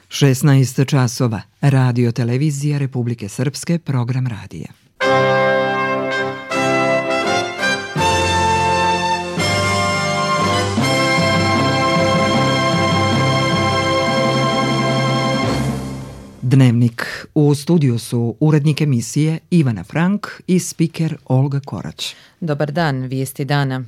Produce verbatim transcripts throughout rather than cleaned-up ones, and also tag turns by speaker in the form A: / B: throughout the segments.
A: šesnaest časova. Radio televizija Republike Srpske, program radija. Dnevnik. U studiju su urednik emisije Ivana Frank i spiker Olga Korać.
B: Dobar dan, vijesti dana.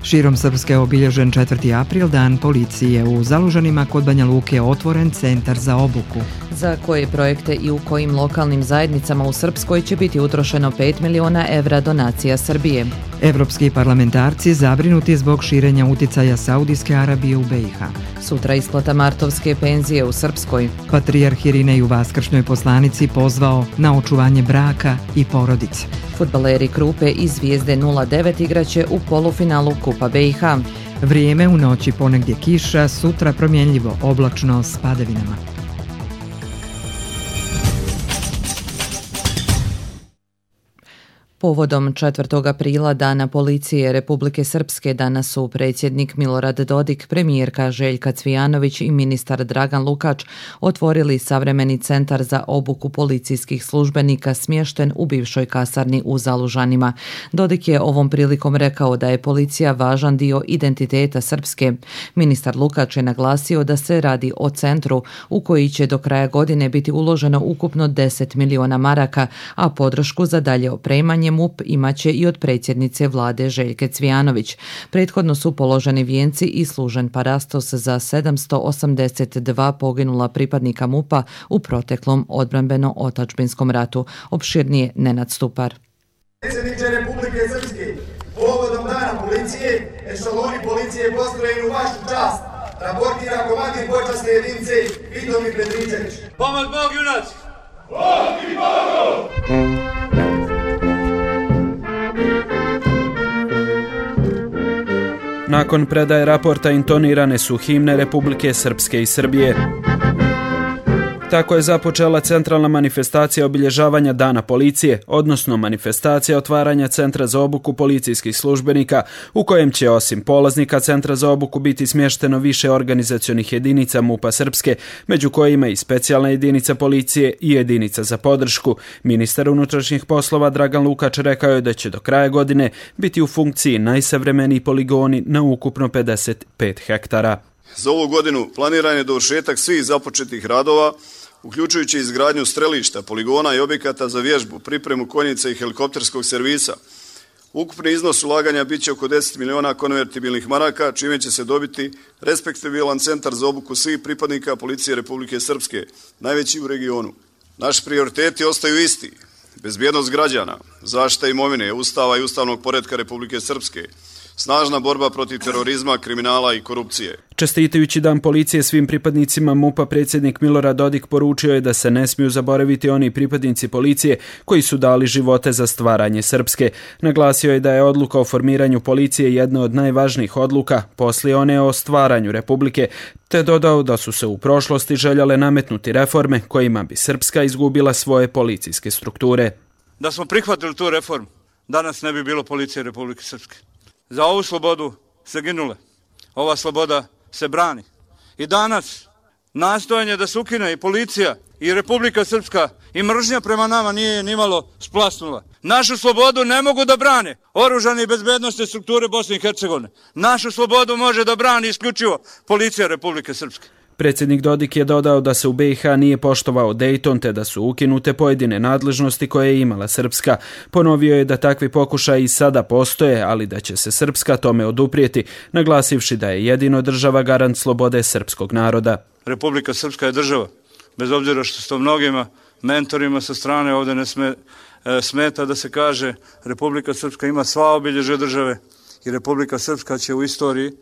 A: Širom Srpske obilježen četvrti april, dan policije. U Zalužanima kod Banja Luke otvoren centar za obuku.
B: Za koje projekte i u kojim lokalnim zajednicama u Srpskoj će biti utrošeno pet miliona evra donacija Srbije.
A: Evropski parlamentarci zabrinuti zbog širenja uticaja Saudijske Arabije u B i H.
B: Sutra isplata martovske penzije u Srpskoj.
A: Patrijarh Irinej u Vaskršnjoj poslanici pozvao na očuvanje braka i porodice.
B: Fudbaleri Krupe i Zvijezde nula devet igraće u polufinalu Kupa B i H.
A: Vrijeme u noći ponegdje kiša, sutra promjenljivo, oblačno s padavinama.
B: Povodom četvrtog aprila, Dana policije Republike Srpske, danas su predsjednik Milorad Dodik, premijerka Željka Cvijanović i ministar Dragan Lukač otvorili savremeni centar za obuku policijskih službenika smješten u bivšoj kasarni u Zalužanima. Dodik je ovom prilikom rekao da je policija važan dio identiteta Srpske. Ministar Lukač je naglasio da se radi o centru u koji će do kraja godine biti uloženo ukupno deset miliona maraka, a podršku za dalje opremanje M U P imaće i od predsjednice vlade Željke Cvijanović. Prethodno su položeni vijenci i služen parastos za sedamsto osamdeset dva poginula pripadnika M U P-a u proteklom odbrambeno-otadžbinskom ratu. Opširnije Nenad Stupar.
C: Predsjedniče Republike Srpske, povodom dana policije, ešaloni policije postrojeni u vašu čast, raportira komandir počasne jedinice Vitomir Petričević.
D: Pomoć Bog, junaci! Bog i Bogu!
E: Nakon predaje raporta intonirane su himne Republike Srpske i Srbije. Tako je započela centralna manifestacija obilježavanja Dana policije, odnosno manifestacija otvaranja Centra za obuku policijskih službenika, u kojem će osim polaznika Centra za obuku biti smješteno više organizacionih jedinica M U P-a Srpske, među kojima i specijalna jedinica policije i jedinica za podršku. Ministar unutrašnjih poslova Dragan Lukač rekao je da će do kraja godine biti u funkciji najsavremeniji poligoni na ukupno pedeset pet hektara.
F: Za ovu godinu planiran je dovršetak svih započetih radova, uključujući izgradnju strelišta, poligona i objekata za vježbu, pripremu konjica i helikopterskog servisa. Ukupni iznos ulaganja biće oko deset miliona konvertibilnih maraka, čime će se dobiti respektabilan centar za obuku svih pripadnika policije Republike Srpske, najveći u regionu. Naši prioriteti ostaju isti: bezbjednost građana, zaštita imovine, Ustava i ustavnog poretka Republike Srpske, snažna borba protiv terorizma, kriminala i korupcije.
E: Čestitajući Dan policije svim pripadnicima M U P-a, predsjednik Milorad Dodik poručio je da se ne smiju zaboraviti oni pripadnici policije koji su dali živote za stvaranje Srpske. Naglasio je da je odluka o formiranju policije jedna od najvažnijih odluka poslije one o stvaranju Republike, te dodao da su se u prošlosti željele nametnuti reforme kojima bi Srpska izgubila svoje policijske strukture.
D: Da smo prihvatili tu reformu, danas ne bi bilo policije Republike Srpske. Za ovu slobodu se ginule. Ova sloboda se brani. I danas nastojanje da se ukine i policija i Republika Srpska i mržnja prema nama nije nimalo splasnula. Našu slobodu ne mogu da brane oružane i bezbednosne strukture Bosne i Hercegovine. Našu slobodu može da brani isključivo policija Republike Srpske.
E: Predsjednik Dodik je dodao da se u B i H nije poštovao Dejton, te da su ukinute pojedine nadležnosti koje je imala Srpska. Ponovio je da takvi pokušaji i sada postoje, ali da će se Srpska tome oduprijeti, naglasivši da je jedino država garant slobode srpskog naroda.
D: Republika Srpska je država, bez obzira što s to mnogima mentorima sa strane ovdje ne sme, e, smeta da se kaže Republika Srpska ima sva obilježja države i Republika Srpska će u istoriji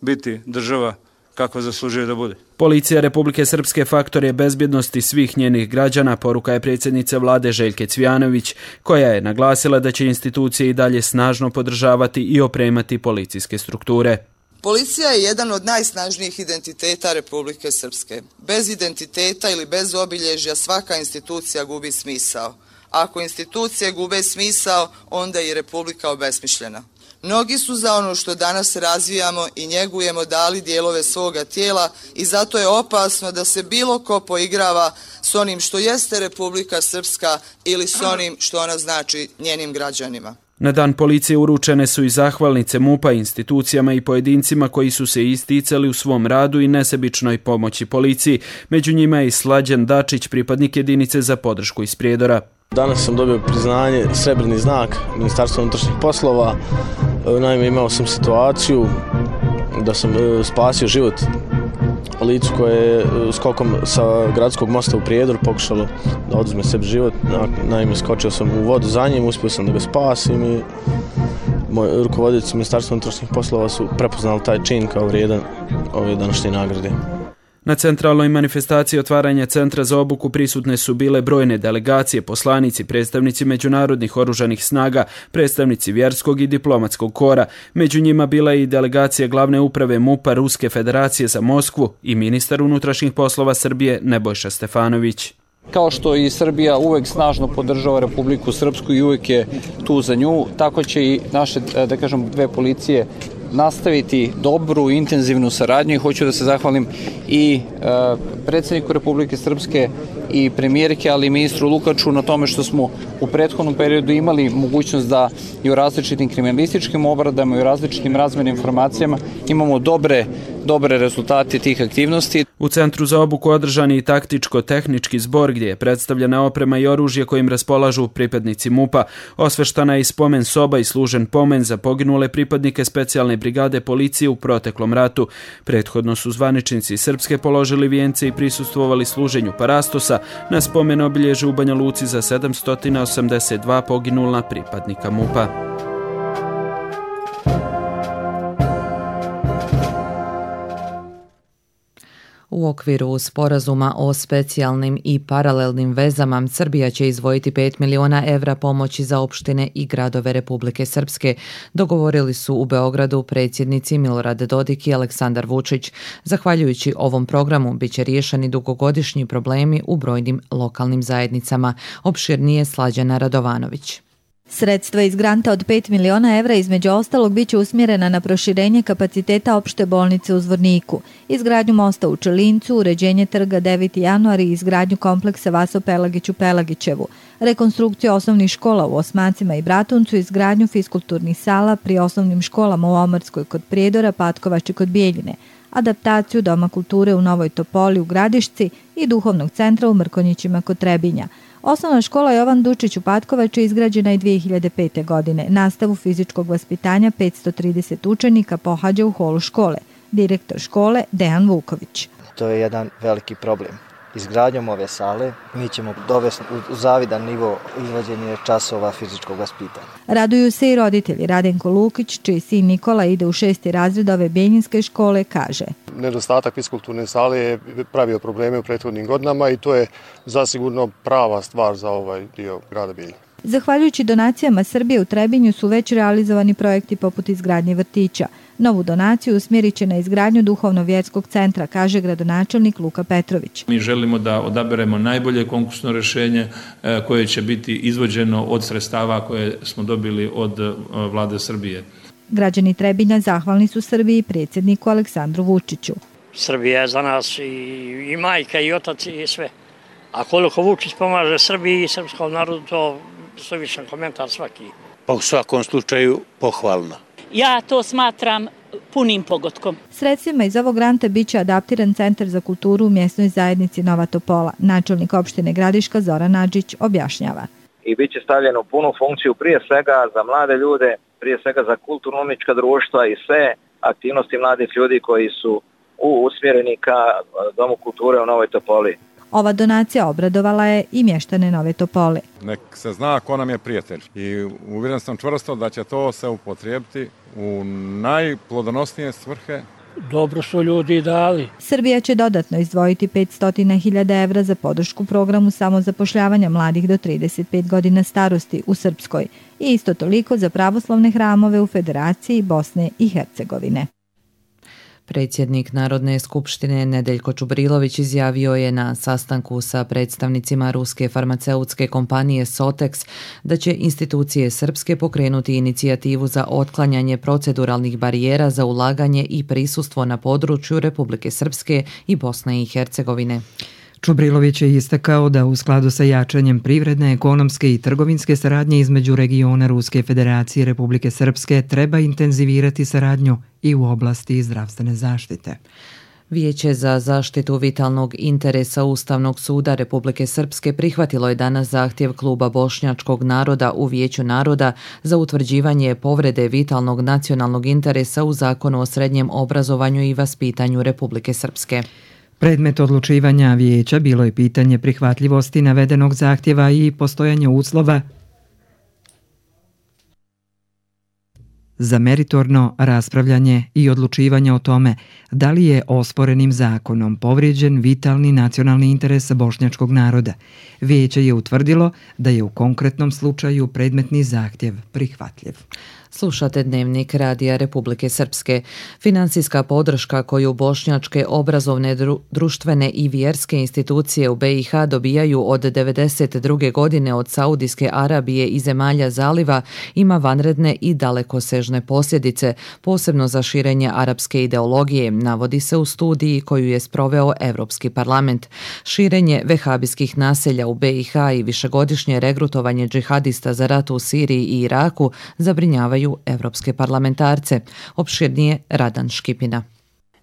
D: biti država kako zaslužuje da bude.
E: Policija Republike Srpske faktor je bezbjednosti svih njenih građana, poruka je predsjednice vlade Željke Cvijanović, koja je naglasila da će institucije i dalje snažno podržavati i opremati policijske strukture.
G: Policija je jedan od najsnažnijih identiteta Republike Srpske. Bez identiteta ili bez obilježja svaka institucija gubi smisao, Ako institucije gube smisao, onda je i Republika obesmišljena. Mnogi su za ono što danas razvijamo i njegujemo dali dijelove svoga tijela i zato je opasno da se bilo ko poigrava s onim što jeste Republika Srpska ili s onim što ona znači njenim građanima.
E: Na dan policije uručene su i zahvalnice MUP-a institucijama i pojedincima koji su se isticali u svom radu i nesebičnoj pomoći policiji. Među njima je i Slađan Dačić, pripadnik jedinice za podršku iz Prijedora.
H: Danas sam dobio priznanje, srebrni znak Ministarstva unutrašnjih poslova. Naime, imao sam situaciju da sam spasio život licu koje je skokom sa gradskog mosta u Prijedor pokušalo da oduzme sebi život. Naime, skočio sam u vodu za njim, uspio sam da ga spasim i moji rukovodioci Ministarstva unutrašnjih poslova su prepoznali taj čin kao vrijedan ove današnje nagrade.
E: Na centralnoj manifestaciji otvaranja centra za obuku prisutne su bile brojne delegacije, poslanici, predstavnici međunarodnih oružanih snaga, predstavnici vjerskog i diplomatskog kora. Među njima bila je i delegacija glavne uprave MUP-a Ruske federacije za Moskvu i ministar unutrašnjih poslova Srbije Nebojša Stefanović.
I: Kao što i Srbija uvek snažno podržava Republiku Srpsku i uvek je tu za nju, tako će i naše, da kažem, dve policije nastaviti dobru, intenzivnu saradnju i hoću da se zahvalim i e, predsjedniku Republike Srpske i premijerke, ali i ministru Lukaču na tome što smo u prethodnom periodu imali mogućnost da i u različitim kriminalističkim obradama i u različitim razmjenim informacijama imamo dobre, dobre rezultate tih aktivnosti.
E: U Centru za obuku održan je i taktičko-tehnički zbor gdje je predstavljena oprema i oružje kojim raspolažu pripadnici MUP-a. Osveštana je i spomen soba i služen pomen za poginule pripadnike specijalne brigade policije u proteklom ratu. Prethodno su zvaničnici Srpske položili vijence i prisustvovali služenju parastosa na spomen obilježju u Banja Luci za sedamsto osamdeset dva poginulna pripadnika MUP-a.
B: U okviru sporazuma o specijalnim i paralelnim vezama Srbija će izdvojiti pet miliona evra pomoći za opštine i gradove Republike Srpske. Dogovorili su u Beogradu predsjednici Milorad Dodik i Aleksandar Vučić. Zahvaljujući ovom programu biće riješeni dugogodišnji problemi u brojnim lokalnim zajednicama. Opširnije Slađana Radovanović.
J: Sredstva iz granta od pet miliona evra između ostalog biće usmjerena na proširenje kapaciteta opšte bolnice u Zvorniku, izgradnju mosta u Čelincu, uređenje trga deveti januar i izgradnju kompleksa Vaso Pelagić u Pelagićevu, rekonstrukciju osnovnih škola u Osmacima i Bratuncu, izgradnju fiskulturnih sala pri osnovnim školama u Omarskoj kod Prijedora, Patkovač i kod Bijeljine, adaptaciju Doma kulture u Novoj Topoli u Gradišci i duhovnog centra u Mrkonjićima kod Trebinja. Osnovna škola Jovan Dučić u Patkovaču je izgrađena i dvije hiljade pete. godine. Nastavu fizičkog vaspitanja petsto trideset učenika pohađa u holu škole. Direktor škole Dejan Vuković.
K: To je jedan veliki problem. Izgradnjom ove sale mi ćemo dovesti u zavidan nivo izvođenja časova fizičkog vaspitanja.
J: Raduju se i roditelji. Radenko Lukić, čiji sin Nikola ide u šesti razred ove Bijeljinske škole, kaže:
L: Nedostatak fiskulturne sale je pravio probleme u prethodnim godinama i to je zasigurno prava stvar za ovaj dio grada Bijeljine.
J: Zahvaljujući donacijama Srbije u Trebinju su već realizovani projekti poput izgradnje vrtića. Novu donaciju usmjerit će na izgradnju duhovno-vjerskog centra, kaže gradonačelnik Luka Petrović.
M: Mi želimo da odaberemo najbolje konkursno rješenje koje će biti izvođeno od sredstava koje smo dobili od vlade Srbije.
J: Građani Trebinja zahvalni su Srbiji i predsjedniku Aleksandru Vučiću.
N: Srbija je za nas i, i majka i otac i sve. A koliko Vučić pomaže Srbiji i srpskom narodu, to suvišan komentar svaki.
O: Pa u svakom slučaju pohvalno.
P: Ja to smatram punim pogodkom.
J: Sredstvima iz ovog granta biće adaptiran centar za kulturu u mjesnoj zajednici Nova Topola. Načelnik opštine Gradiška Zoran Nadžić objašnjava.
Q: I bit će stavljeno u punu funkciju prije svega za mlade ljude, prije svega za kulturno-umnička društva i sve aktivnosti mladih ljudi koji su usmjereni ka Domu kulture u Novoj Topoli.
J: Ova donacija obradovala je i mještane Nove Topole.
R: Nek se zna ko nam je prijatelj i uvjeren sam čvrsto da će to se upotrijebiti u najplodonosnije svrhe.
N: Dobro su ljudi dali.
J: Srbija će dodatno izdvojiti petsto hiljada evra za podršku programu samozapošljavanja mladih do trideset pet godina starosti u Srpskoj i isto toliko za pravoslavne hramove u Federaciji Bosne i Hercegovine.
B: Predsjednik Narodne skupštine Nedeljko Čubrilović izjavio je na sastanku sa predstavnicima ruske farmaceutske kompanije Sotex da će institucije srpske pokrenuti inicijativu za otklanjanje proceduralnih barijera za ulaganje i prisustvo na području Republike Srpske i Bosne i Hercegovine.
A: Čubrilović je istakao da u skladu sa jačanjem privredne, ekonomske i trgovinske saradnje između regiona Ruske federacije i Republike Srpske treba intenzivirati saradnju i u oblasti zdravstvene zaštite.
B: Vijeće za zaštitu vitalnog interesa Ustavnog suda Republike Srpske prihvatilo je danas zahtjev Kluba bošnjačkog naroda u Vijeću naroda za utvrđivanje povrede vitalnog nacionalnog interesa u Zakonu o srednjem obrazovanju i vaspitanju Republike Srpske.
A: Predmet odlučivanja vijeća bilo je pitanje prihvatljivosti navedenog zahtjeva i postojanje uslova za meritorno raspravljanje i odlučivanje o tome da li je osporenim zakonom povrijeđen vitalni nacionalni interes bošnjačkog naroda. Vijeće je utvrdilo da je u konkretnom slučaju predmetni zahtjev prihvatljiv.
B: Slušate Dnevnik Radija Republike Srpske. Finansijska podrška koju bošnjačke obrazovne, dru, društvene i vjerske institucije u be i ha dobijaju od devedeset druge godine od Saudijske Arabije i zemalja zaliva ima vanredne i dalekosežne posljedice, posebno za širenje arapske ideologije, navodi se u studiji koju je sproveo Evropski parlament. Širenje vehabijskih naselja u be i ha i višegodišnje regrutovanje džihadista za rat u Siriji i Iraku zabrinjavaju evropske parlamentarce. Opširnije Radan Škipina.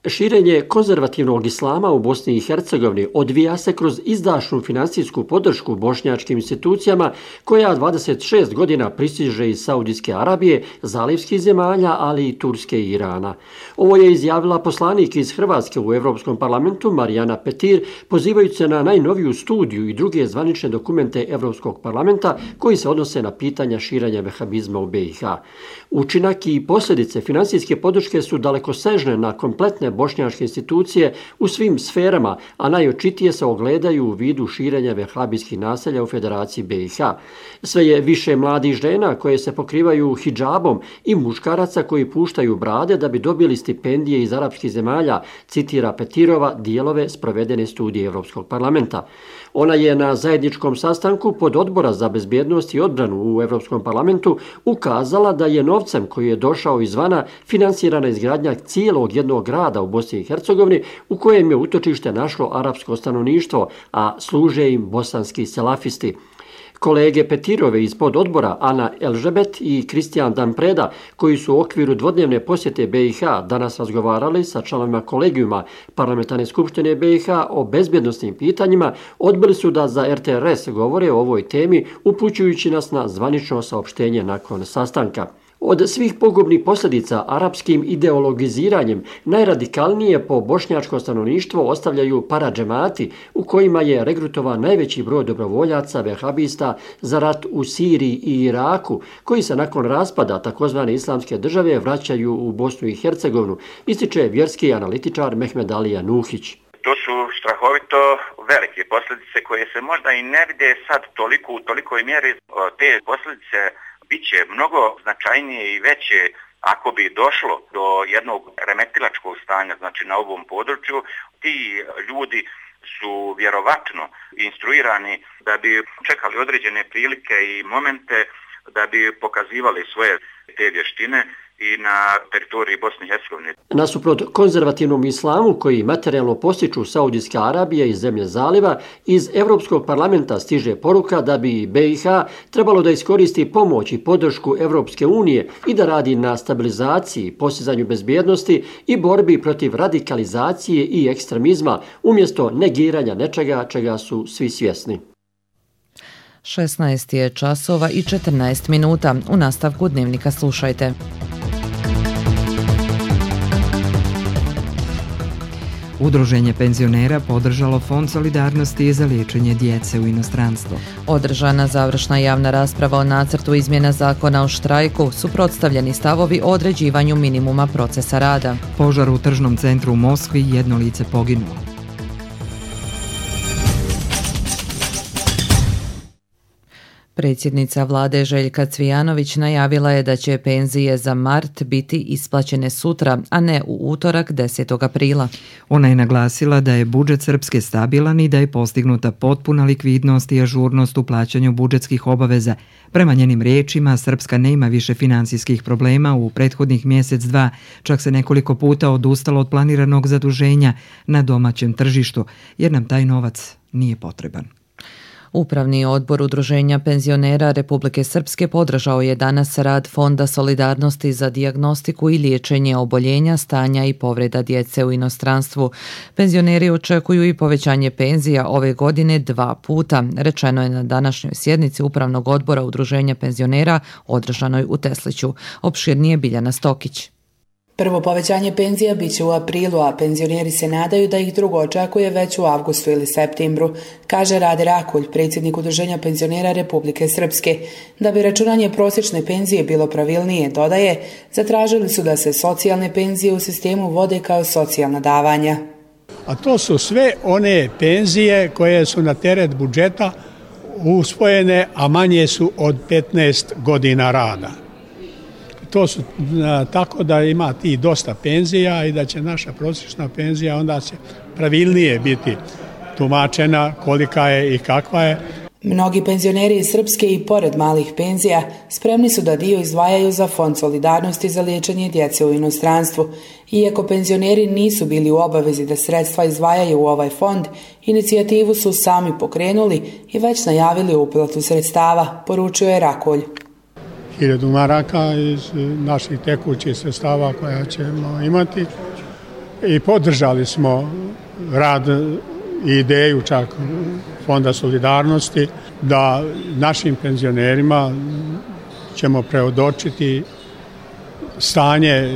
S: Širenje konzervativnog islama u Bosni i Hercegovini odvija se kroz izdašnu finansijsku podršku bošnjačkim institucijama koja dvadeset šest godina pristiže iz Saudijske Arabije, zalivskih zemalja, ali i Turske i Irana. Ovo je izjavila poslanik iz Hrvatske u Evropskom parlamentu Marijana Petir, pozivajući se na najnoviju studiju i druge zvanične dokumente Evropskog parlamenta koji se odnose na pitanja širenja vehabizma u be i ha. Učinak i posljedice finansijske podrške su dalekosežne na kompletne bošnjačke institucije u svim sferama, a najočitije se ogledaju u vidu širenja vehabijskih naselja u Federaciji be i ha. Sve je više mladih žena koje se pokrivaju hidžabom i muškaraca koji puštaju brade da bi dobili stipendije iz arapskih zemalja, citira Petirova dijelove sprovedene studije Evropskog parlamenta. Ona je na zajedničkom sastanku pod odbora za bezbjednost i odbranu u Evropskom parlamentu ukazala da je novcem koji je došao izvana finansirana izgradnja cijelog jednog grada u Bosni i Hercegovini u kojem je utočište našlo arapsko stanovništvo, a služe im bosanski selafisti. Kolege Petirove iz pododbora Ana Elžebet i Kristijan Danpreda, koji su u okviru dvodnevne posjete be i ha danas razgovarali sa članovima kolegijuma Parlamentarne skupštine be i ha o bezbjednosnim pitanjima, odbili su da za er te er es govore o ovoj temi, upućujući nas na zvanično saopštenje nakon sastanka. Od svih pogubnih posljedica arapskim ideologiziranjem najradikalnije po bošnjačko stanovništvo ostavljaju paradžemati u kojima je regrutovan najveći broj dobrovoljaca vehabista za rat u Siriji i Iraku, koji se nakon raspada takozvane islamske države vraćaju u Bosnu i Hercegovinu, ističe vjerski analitičar Mehmed Alija Nuhić.
T: To su strahovito velike posljedice koje se možda i ne vide sad toliko u tolikoj mjeri. Te posljedice biće mnogo značajnije i veće ako bi došlo do jednog remetilačkog stanja, znači na ovom području. Ti ljudi su vjerovatno instruirani da bi čekali određene prilike i momente da bi pokazivali svoje te vještine i na teritoriji Bosne i Hercegovine.
S: Nasuprot konzervativnom islamu koji materijalno postiču Saudijska Arabija i zemlje zaliva, iz Evropskog parlamenta stiže poruka da bi be i ha trebalo da iskoristi pomoć i podršku Evropske unije i da radi na stabilizaciji, postizanju bezbjednosti i borbi protiv radikalizacije i ekstremizma, umjesto negiranja nečega čega su svi svjesni.
B: šesnaest je časova i četrnaest minuta. U nastavku Dnevnika slušajte.
A: Udruženje penzionera podržalo Fond solidarnosti za liječenje djece u inostranstvu.
B: Održana završna javna rasprava o nacrtu izmjena zakona o štrajku, suprotstavljeni stavovi o određivanju minimuma procesa rada.
A: Požar u tržnom centru u Moskvi, jedno lice poginulo.
B: Predsjednica vlade Željka Cvijanović najavila je da će penzije za mart biti isplaćene sutra, a ne u utorak desetog aprila.
A: Ona je naglasila da je budžet Srpske stabilan i da je postignuta potpuna likvidnost i ažurnost u plaćanju budžetskih obaveza. Prema njenim riječima, Srpska nema više finansijskih problema u prethodnih mjesec dva, čak se nekoliko puta odustalo od planiranog zaduženja na domaćem tržištu, jer nam taj novac nije potreban.
B: Upravni odbor Udruženja penzionera Republike Srpske podržao je danas rad Fonda solidarnosti za dijagnostiku i liječenje oboljenja, stanja i povreda djece u inostranstvu. Penzioneri očekuju i povećanje penzija ove godine dva puta, rečeno je na današnjoj sjednici Upravnog odbora Udruženja penzionera održanoj u Tesliću. Opširnije Biljana Stokić.
U: Prvo povećanje penzija bit će u aprilu, a penzioneri se nadaju da ih drugo očekuje već u avgustu ili septembru, kaže Rade Rakulj, predsjednik Udruženja penzionera Republike Srpske. Da bi računanje prosječne penzije bilo pravilnije, dodaje, zatražili su da se socijalne penzije u sistemu vode kao socijalna davanja.
V: A to su sve one penzije koje su na teret budžeta usvojene, a manje su od petnaest godina rada. To su tako da ima ti dosta penzija i da će naša prosječna penzija onda će pravilnije biti tumačena kolika je i kakva je.
U: Mnogi penzioneri iz Srpske i pored malih penzija spremni su da dio izdvajaju za Fond solidarnosti za liječenje djece u inostranstvu. Iako penzioneri nisu bili u obavezi da sredstva izdvajaju u ovaj fond, inicijativu su sami pokrenuli i već najavili uplatu sredstava, poručio je Rakolj.
V: hiljadu maraka iz naših tekućih sredstava koja ćemo imati i podržali smo rad i ideju čak Fonda solidarnosti da našim penzionerima ćemo preodočiti stanje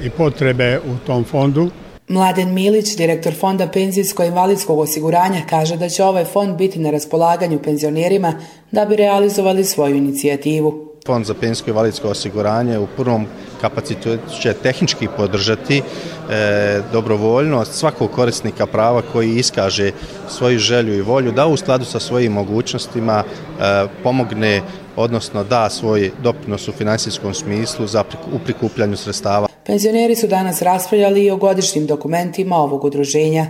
V: i potrebe u tom fondu.
U: Mladen Milić, direktor Fonda penzijsko-invalidskog osiguranja, kaže da će ovaj fond biti na raspolaganju penzionerima da bi realizovali svoju inicijativu.
W: Fond za penzijsko i invalidsko osiguranje u prvom kapacitetu će tehnički podržati e, dobrovoljnost svakog korisnika prava koji iskaže svoju želju i volju da u skladu sa svojim mogućnostima e, pomogne, odnosno da svoj doprinos u financijskom smislu za, u prikupljanju sredstava.
U: Penzioneri su danas raspravljali i o godišnjim dokumentima ovog udruženja.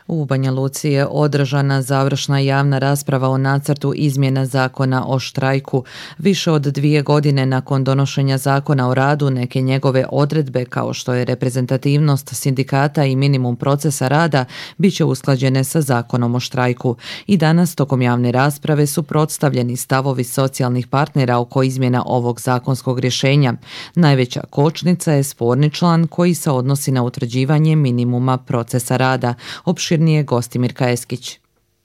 B: U Banja Luci je održana završna javna rasprava o nacrtu izmjena zakona o štrajku. Više od dvije godine nakon donošenja zakona o radu, neke njegove odredbe kao što je reprezentativnost sindikata i minimum procesa rada bit će usklađene sa zakonom o štrajku. I danas tokom javne rasprave su predstavljeni stavovi socijalnih partnera oko izmjena ovog zakonskog rješenja. Najveća kočnica je sporni član koji se odnosi na utvrđivanje minimuma procesa rada. Opširnije Gostimir Kajeskić.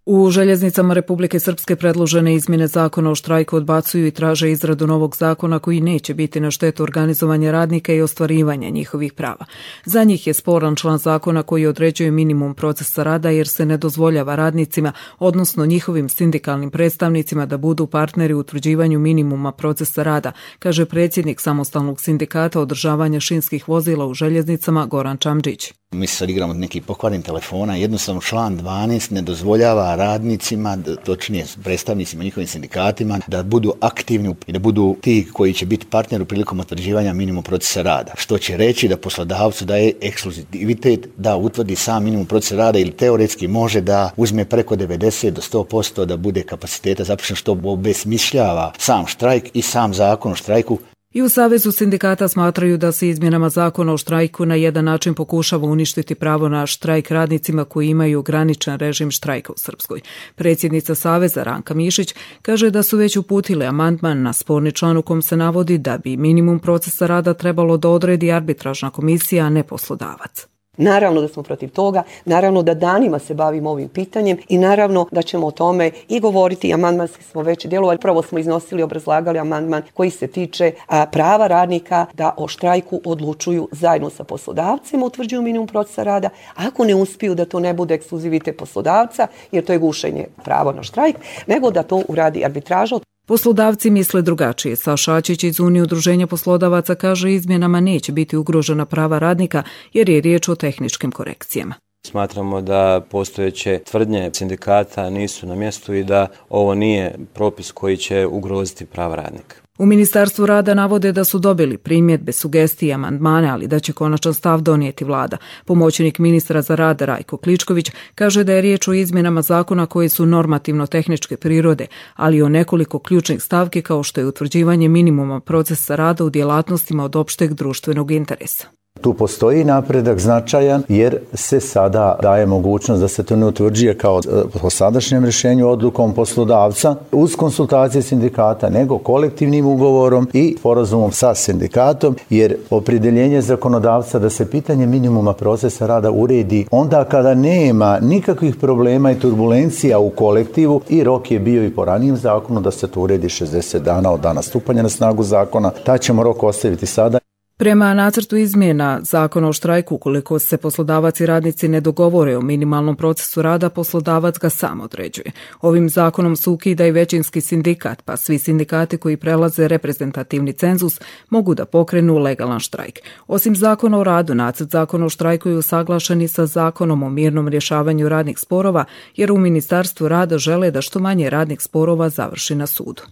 X: U željeznicama Republike Srpske predložene izmjene zakona o štrajku odbacuju i traže izradu novog zakona koji neće biti na štetu organizovanja radnika i ostvarivanja njihovih prava. Za njih je sporan član zakona koji određuje minimum procesa rada jer se ne dozvoljava radnicima, odnosno njihovim sindikalnim predstavnicima da budu partneri u utvrđivanju minimuma procesa rada, kaže predsjednik samostalnog sindikata održavanja šinskih vozila u željeznicama Goran Čamđić.
Y: Mi se sad igramo od nekih pokvarenih telefona, jednostavno član dvanaest ne dozvoljava radnicima, točnije predstavnicima njihovim sindikatima, da budu aktivni i da budu ti koji će biti partneri prilikom utvrđivanja minimum procesa rada. Što će reći da poslodavcu daje ekskluzivitet da utvrdi sam minimum procesa rada ili teoretski može da uzme preko devedeset do sto posto da bude kapaciteta zaposleno, što obesmišljava sam štrajk i sam zakon o štrajku.
X: I u Savezu sindikata smatraju da se izmjenama zakona o štrajku na jedan način pokušava uništiti pravo na štrajk radnicima koji imaju ograničen režim štrajka u Srpskoj. Predsjednica Saveza Ranka Mišić kaže da su već uputili amandman na sporni član u kom se navodi da bi minimum procesa rada trebalo da odredi arbitražna komisija, a ne poslodavac.
Z: Naravno da smo protiv toga, naravno da danima se bavimo ovim pitanjem i naravno da ćemo o tome i govoriti. Amandmanski smo već djelovali, prvo smo iznosili, obrazlagali amandman koji se tiče a, prava radnika da o štrajku odlučuju zajedno sa poslodavcima, utvrđuju minimum procesa rada. Ako ne uspiju da to ne bude ekskluzivitet poslodavca, jer to je gušenje prava na štrajk, nego da to uradi arbitraža.
X: Poslodavci misle drugačije. Saša Ačić iz Unije udruženja poslodavaca kaže izmjenama neće biti ugrožena prava radnika jer je riječ o tehničkim korekcijama.
C: Smatramo da postojeće tvrdnje sindikata nisu na mjestu i da ovo nije propis koji će ugroziti prava radnika.
X: U Ministarstvu rada navode da su dobili primjedbe, sugestije i amandmane, ali da će konačan stav donijeti vlada. Pomoćnik ministra za rad Rajko Kličković kaže da je riječ o izmjenama zakona koji su normativno-tehničke prirode, ali i o nekoliko ključnih stavki kao što je utvrđivanje minimuma procesa rada u djelatnostima od opšteg društvenog interesa.
D: Tu postoji napredak značajan jer se sada daje mogućnost da se to ne utvrđuje kao po sadašnjem rješenju odlukom poslodavca uz konsultacije sindikata, nego kolektivnim ugovorom i sporazumom sa sindikatom, jer opredjeljenje zakonodavca da se pitanje minimuma procesa rada uredi onda kada nema nikakvih problema i turbulencija u kolektivu i rok je bio i po ranijem zakonu da se to uredi šezdeset dana od dana stupanja na snagu zakona, taj ćemo rok ostaviti sada.
X: Prema nacrtu izmjena zakona o štrajku, ukoliko se poslodavac i radnici ne dogovore o minimalnom procesu rada, poslodavac ga sam određuje. Ovim zakonom se ukida i većinski sindikat, pa svi sindikati koji prelaze reprezentativni cenzus mogu da pokrenu legalan štrajk. Osim zakona o radu, nacrt zakona o štrajku je usaglašen i sa zakonom o mirnom rješavanju radnih sporova, jer u Ministarstvu rada žele da što manje radnih sporova završi na sudu.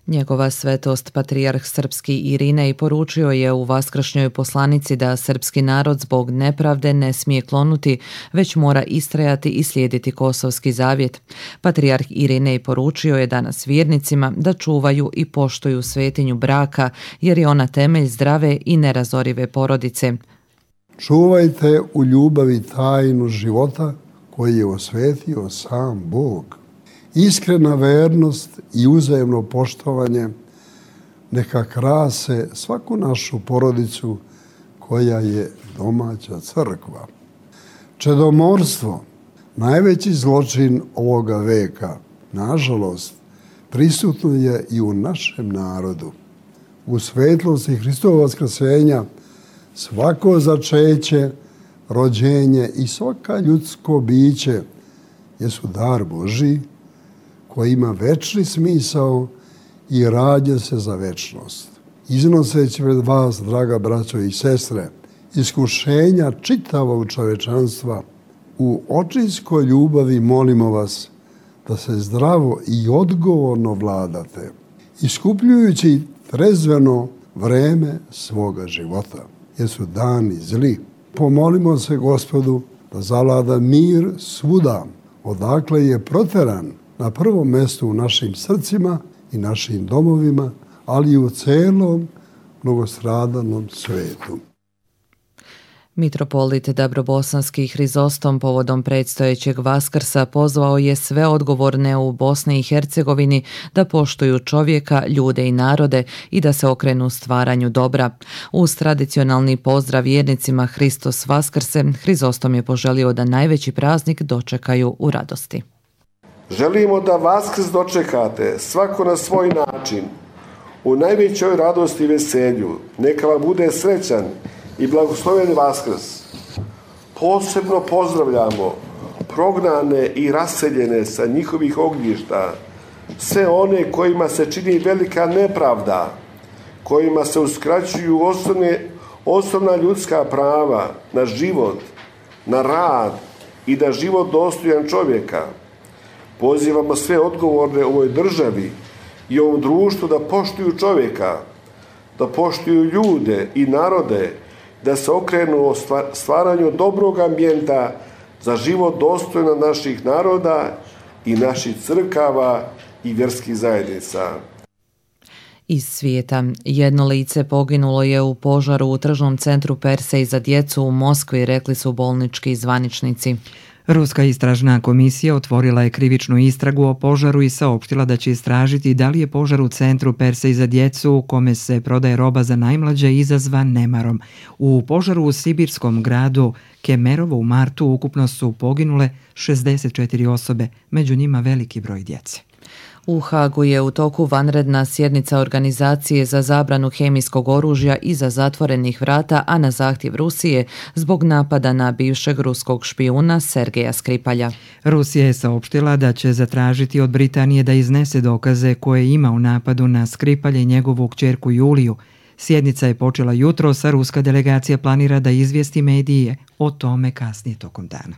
B: Njegova svetost patrijarh srpski Irinej poručio je u vaskršnjoj poslanici da srpski narod zbog nepravde ne smije klonuti, već mora istrajati i slijediti kosovski zavjet. Patrijarh Irinej poručio je danas vjernicima da čuvaju i poštuju svetinju braka, jer je ona temelj zdrave i nerazorive porodice.
F: Čuvajte u ljubavi tajnu života koji je osvetio sam Bog. Iskrena vernost i uzajemno poštovanje neka krase svaku našu porodicu koja je domaća crkva. Čedomorstvo, najveći zločin ovoga veka, nažalost, prisutno je i u našem narodu. U svetlosti Hristovog vaskrsenja svako začeće, rođenje i svaka ljudsko biće jesu dar Božji koji ima večni smisao i rađa se za večnost. Iznoseći pred vas, draga braćo i sestre, iskušenja čitavog čovečanstva, u očinskoj ljubavi molimo vas da se zdravo i odgovorno vladate, iskupljujući trezveno vreme svoga života, jer su dani zli. Pomolimo se Gospodu da zavlada mir svuda, odakle je proteran, na prvom mjestu u našim srcima i našim domovima, ali i u celom mnogostradanom svetu.
B: Mitropolit Dabrobosanski Hrizostom povodom predstojećeg Vaskrsa pozvao je sve odgovorne u Bosni i Hercegovini da poštuju čovjeka, ljude i narode i da se okrenu stvaranju dobra. Uz tradicionalni pozdrav vjernicima Hristos Vaskrse, Hrizostom je poželio da najveći praznik dočekaju u radosti.
G: Želimo da Vaskrs dočekate svako na svoj način, u najvećoj radosti i veselju. Neka vam bude srećan i blagosloven Vaskrs. Posebno pozdravljamo prognane i raseljene sa njihovih ognjišta, sve one kojima se čini velika nepravda, kojima se uskraćuju osnovne, osnovna ljudska prava na život, na rad i na život dostojan čovjeka. Pozivamo sve odgovorne u ovoj državi i ovom društvu da poštuju čovjeka, da poštuju ljude i narode, da se okrenu o stvaranju dobrog ambijenta za život dostojno naših naroda i naših crkava i vjerskih zajednica.
B: Iz svijeta. Jedno lice poginulo je u požaru u tržnom centru Persej za djecu u Moskvi, rekli su bolnički zvaničnici.
A: Ruska istražna komisija otvorila je krivičnu istragu o požaru i saopštila da će istražiti da li je požar u centru Persej za djecu u kome se prodaje roba za najmlađe izazvan nemarom. U požaru u sibirskom gradu Kemerovo u martu ukupno su poginule šezdeset četiri osobe, među njima veliki broj djece.
B: U Hagu je u toku vanredna sjednica Organizacije za zabranu hemijskog oružja iza zatvorenih vrata, a na zahtjev Rusije zbog napada na bivšeg ruskog špijuna Sergeja Skripalja.
A: Rusija je saopštila da će zatražiti od Britanije da iznese dokaze koje ima u napadu na Skripalja i njegovu kćerku Juliju. Sjednica je počela jutros, a ruska delegacija planira da izvijesti medije o tome kasnije tokom dana.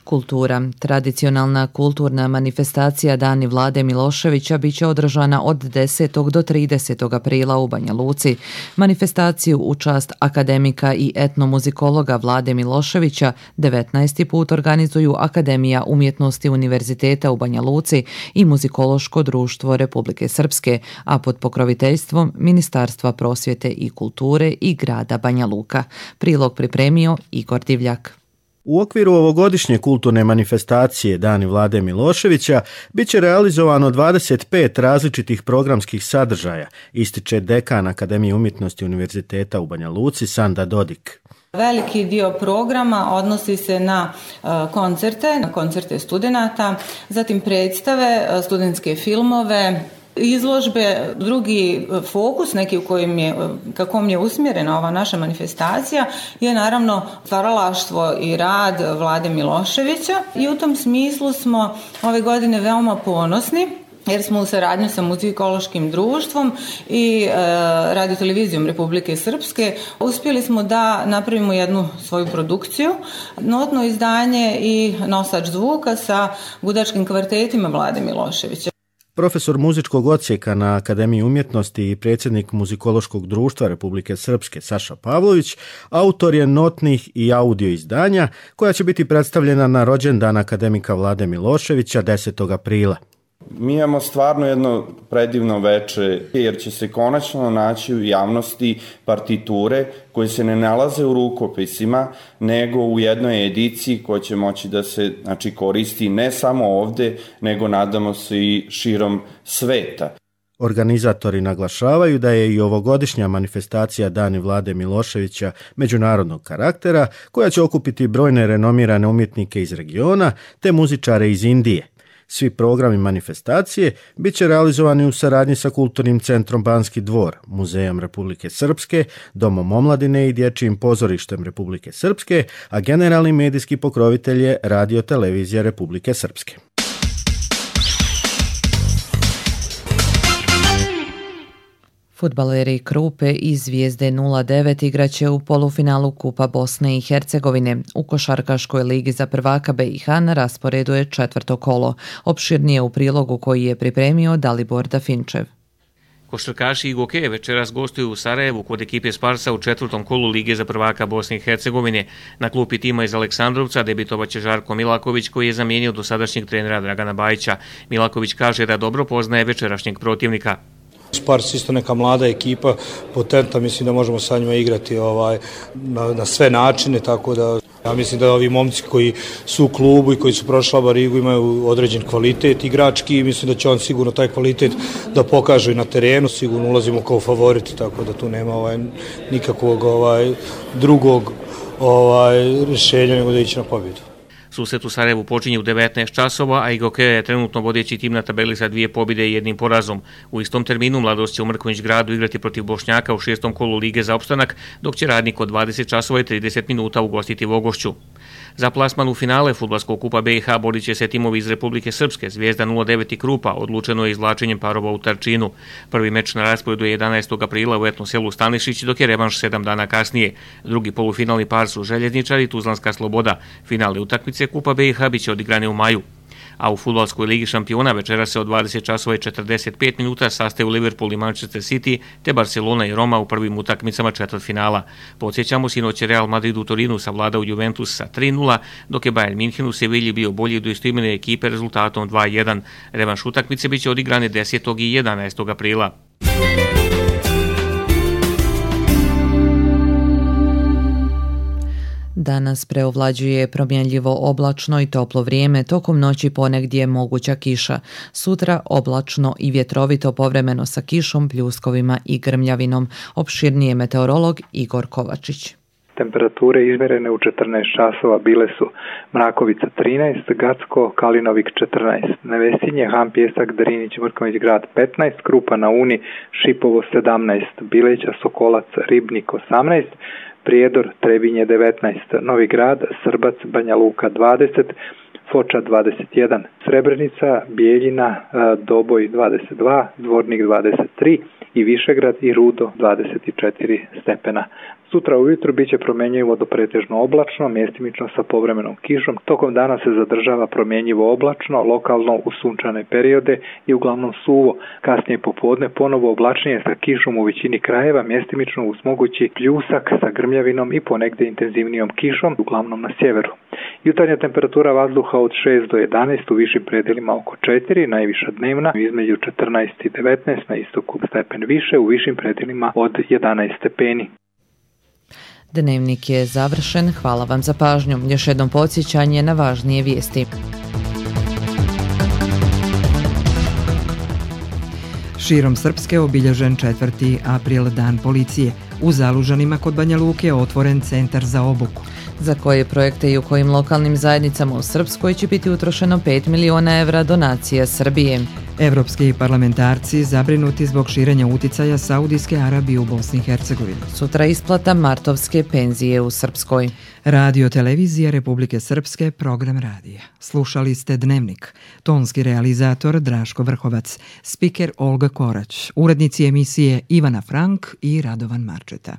B: Kultura. Tradicionalna kulturna manifestacija Dani Vlade Miloševića bit će održana od desetog do tridesetog aprila u Banja Luci. Manifestaciju u čast akademika i etnomuzikologa Vlade Miloševića devetnaesti put organizuju Akademija umjetnosti Univerziteta u Banja Luci i Muzikološko društvo Republike Srpske, a pod pokroviteljstvom Ministarstva prosvjete i kulture i grada Banja Luka. Prilog pripremio Igor Divljak.
E: U okviru ovogodišnje kulturne manifestacije Dani Vlade Miloševića bit će realizovano dvadeset pet različitih programskih sadržaja, ističe dekan Akademije umjetnosti Univerziteta u Banja Luci Sanda Dodik.
H: Veliki dio programa odnosi se na koncerte, na koncerte studenata, zatim predstave, studentske filmove, izložbe. Drugi fokus, neki u kojim je, kako je usmjerena ova naša manifestacija, je naravno stvaralaštvo i rad Vlade Miloševića i u tom smislu smo ove godine veoma ponosni jer smo u saradnji sa Muzikološkim društvom i e, radiotelevizijom Republike Srpske uspjeli smo da napravimo jednu svoju produkciju, notno izdanje i nosač zvuka sa gudačkim kvartetima Vlade Miloševića.
E: Profesor muzičkog odsjeka na Akademiji umjetnosti i predsjednik Muzikološkog društva Republike Srpske Saša Pavlović autor je notnih i audio izdanja koja će biti predstavljena na rođendan akademika Vlade Miloševića desetog aprila.
I: Mi imamo stvarno jedno predivno veče jer će se konačno naći u javnosti partiture koje se ne nalaze u rukopisima nego u jednoj ediciji koja će moći da se znači, koristi ne samo ovde nego nadamo se i širom sveta.
E: Organizatori naglašavaju da je i ovogodišnja manifestacija Dani Vlade Miloševića međunarodnog karaktera koja će okupiti brojne renomirane umjetnike iz regiona te muzičare iz Indije. Svi programi manifestacije bit će realizovani u saradnji sa Kulturnim centrom Banski dvor, Muzejom Republike Srpske, Domom omladine i Dječjim pozorištem Republike Srpske, a generalni medijski pokrovitelj je Radio televizija Republike Srpske.
B: Fudbaleri Krupe i Zvijezde nula devet igraće u polufinalu Kupa Bosne i Hercegovine. U košarkaškoj ligi za prvaka B i H na rasporedu je četvrto kolo. Opširnije u prilogu koji je pripremio Dalibor Dafinčev.
K: Košarkaši i Gokeje večeras gostuju u Sarajevu kod ekipe Sparsa u četvrtom kolu Lige za prvaka Bosne i Hercegovine. Na klupi tima iz Aleksandrovca debitovaće Žarko Milaković koji je zamijenio dosadašnjeg trenera Dragana Bajića. Milaković kaže da dobro poznaje večerašnjeg protivnika.
L: Spars isto neka mlada ekipa, potentna, mislim da možemo sa njima igrati ovaj, na, na sve načine, tako da ja mislim da ovi momci koji su u klubu i koji su prošli Barigu imaju određen kvalitet igrački i mislim da će on sigurno taj kvalitet da pokaže na terenu, sigurno ulazimo kao favoriti, tako da tu nema ovaj, nikakvog ovaj, drugog ovaj, rješenja nego da ići na pobjedu.
K: Susret u Sarajevu počinje u devetnaest časova, a Igokeja je trenutno vodeći tim na tabeli sa dvije pobjede i jednim porazom. U istom terminu Mladost će u Mrkonjić gradu igrati protiv Bošnjaka u šestom kolu Lige za opstanak, dok će Radnik od dvadeset časova i trideset minuta ugostiti Vogošću. Za plasman u finale Fudbalskog kupa B i H borit će se timovi iz Republike Srpske, Zvijezda nula devet i Krupa, odlučeno je izvlačenjem parova u Tarčinu. Prvi meč na rasporedu je jedanaestog aprila u etno selu Stanišić, dok je revanš sedam dana kasnije. Drugi polufinalni par su Željezničari i Tuzlanska Sloboda. Finale utakmice Kupa B i H biće odigrane u maju. A u fudbalskoj ligi šampiona večera se od dvadeset časova i četrdeset pet minuta sastaju Liverpool i Manchester City, te Barcelona i Roma u prvim utakmicama četvrtfinala. Podsjećamo, sinoć je Real Madrid u Torinu savladao Juventus sa tri nula, dok je Bayern München u Sevilji bio bolji do istoimene ekipe rezultatom dva jedan. Revanš utakmice biće odigrane desetog i jedanaestog aprila.
B: Danas preovlađuje promjenljivo oblačno i toplo vrijeme, tokom noći ponegdje moguća kiša. Sutra oblačno i vjetrovito povremeno sa kišom, pljuskovima i grmljavinom. Opširnije meteorolog Igor Kovačić.
M: Temperature izmjerene u četrnaest časova bile su Mrakovica trinaest, Gacko, Kalinovik četrnaest, Nevesinje, Han Pjesak, Drinić, Mrkonjić grad petnaest, Krupa na Uni, Šipovo sedamnaest, Bileća, Sokolac, Ribnik osamnaest, Prijedor, Trebinje devetnaest, Novi Grad, Srbac, Banja Luka dvadeset, Foča dvadeset jedan, Srebrenica, Bijeljina, Doboj dvadeset dva, Dvornik dvadeset tri i Višegrad i Rudo dvadeset četiri stepena. Sutra ujutro biće promjenjivo do pretežno oblačno, mjestimično sa povremenom kišom. Tokom dana se zadržava promjenjivo oblačno, lokalno u sunčane periode i uglavnom suvo. Kasnije popodne ponovo oblačnije sa kišom u većini krajeva, mjestimično uz mogući pljusak sa grmljavinom i ponegde intenzivnijom kišom, uglavnom na sjeveru. Jutarnja temperatura vazduha od šest do jedanaest, u višim predelima oko četiri, najviša dnevna između četrnaest i devetnaest, na istoku stepen više, u višim predelima od jedanaest stepeni.
B: Dnevnik je završen, hvala vam za pažnju. Još jednom podsjećanje na važnije vijesti.
A: Širom Srpske obilježen četvrti april dan policije. U Zalužanima kod Banja Luke je otvoren centar za obuku.
B: Za koje projekte i u kojim lokalnim zajednicama u Srpskoj će biti utrošeno pet miliona evra donacija Srbije.
A: Evropski parlamentarci zabrinuti zbog širenja uticaja Saudijske Arabije u Bosni i Hercegovini.
B: Sutra isplata martovske penzije u Srpskoj.
A: Radio Televizija Republike Srpske, program radija. Slušali ste Dnevnik. Tonski realizator Draško Vrhovac, spiker Olga Korać, urednici emisije Ivana Frank i Radovan Marčeta.